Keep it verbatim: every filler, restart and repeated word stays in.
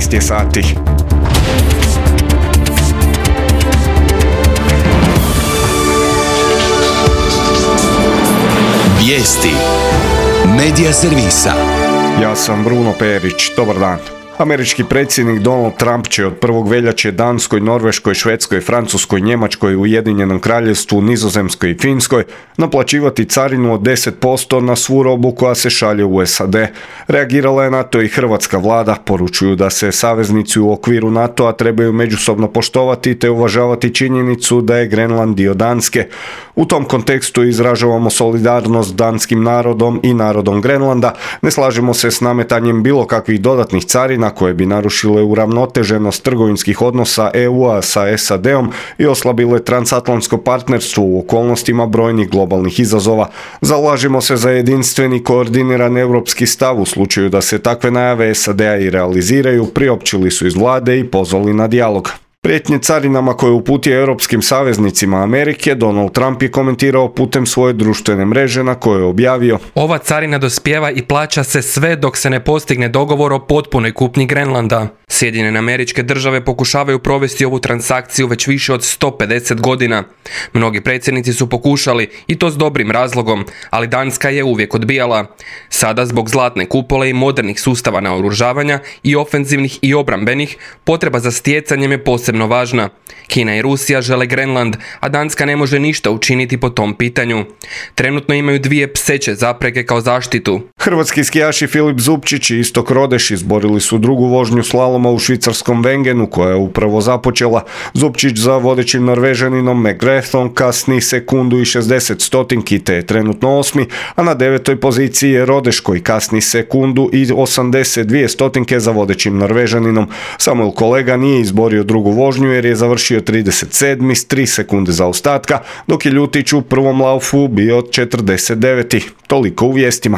šesnaest je sati. Vijesti Medija servisa. Ja sam Bruno Perić, dobar dan. Američki predsjednik Donald Trump će od prvog veljače Danskoj, Norveškoj, Švedskoj, Francuskoj, Njemačkoj, Ujedinjenom Kraljevstvu, Nizozemskoj i Finskoj naplaćivati carinu od deset posto na svu robu koja se šalje u S A D. Reagirala je na to i hrvatska vlada, poručuju da se saveznici u okviru NATO-a trebaju međusobno poštovati te uvažavati činjenicu da je Grenland dio Danske. U tom kontekstu izražavamo solidarnost danskim narodom i narodom Grenlanda, ne slažemo se s nametanjem bilo kakvih dodatnih carina koje bi narušile uravnoteženost trgovinskih odnosa E U-a sa S A D-om i oslabile transatlantsko partnerstvo u okolnostima brojnih globalnih izazova. Zalažemo se za jedinstveni koordiniran europski stav u slučaju da se takve najave S A D-a i realiziraju, priopćili su iz vlade i pozvali na dijalog. Prijetnje carinama koje uputio europskim saveznicima Amerike, Donald Trump je komentirao putem svoje društvene mreže na kojoj je objavio: Ova carina dospijeva i plaća se sve dok se ne postigne dogovor o potpunoj kupnji Grenlanda. Sjedinjene Američke Države pokušavaju provesti ovu transakciju već više od sto pedeset godina. Mnogi predsjednici su pokušali i to s dobrim razlogom, ali Danska je uvijek odbijala. Sada zbog zlatne kupole i modernih sustava naoružavanja i ofenzivnih i obrambenih, potreba za stjecanjem je posebno važna. Kina i Rusija žele Grenland, a Danska ne može ništa učiniti po tom pitanju. Trenutno imaju dvije pseće zapreke kao zaštitu. Hrvatski skijaši Filip Zupčić i Istok Rodeš izborili su drugu vožnju slaloma u švicarskom Wengenu koja je upravo započela. Zupčić za vodećim Norvežaninom McGrathom kasni sekundu i šezdeset stotinki te je trenutno osmi, a na devetoj poziciji je Rodeš koji kasni sekundu i osamdeset dvije stotinke za vodećim Norvežaninom. Samuel Kolega nije izborio drugu vožnju jer je završio trideset sedmi s tri sekunde zaostatka, dok je Ljutić u prvom laufu bio četrdeset deveti. Toliko u vijestima.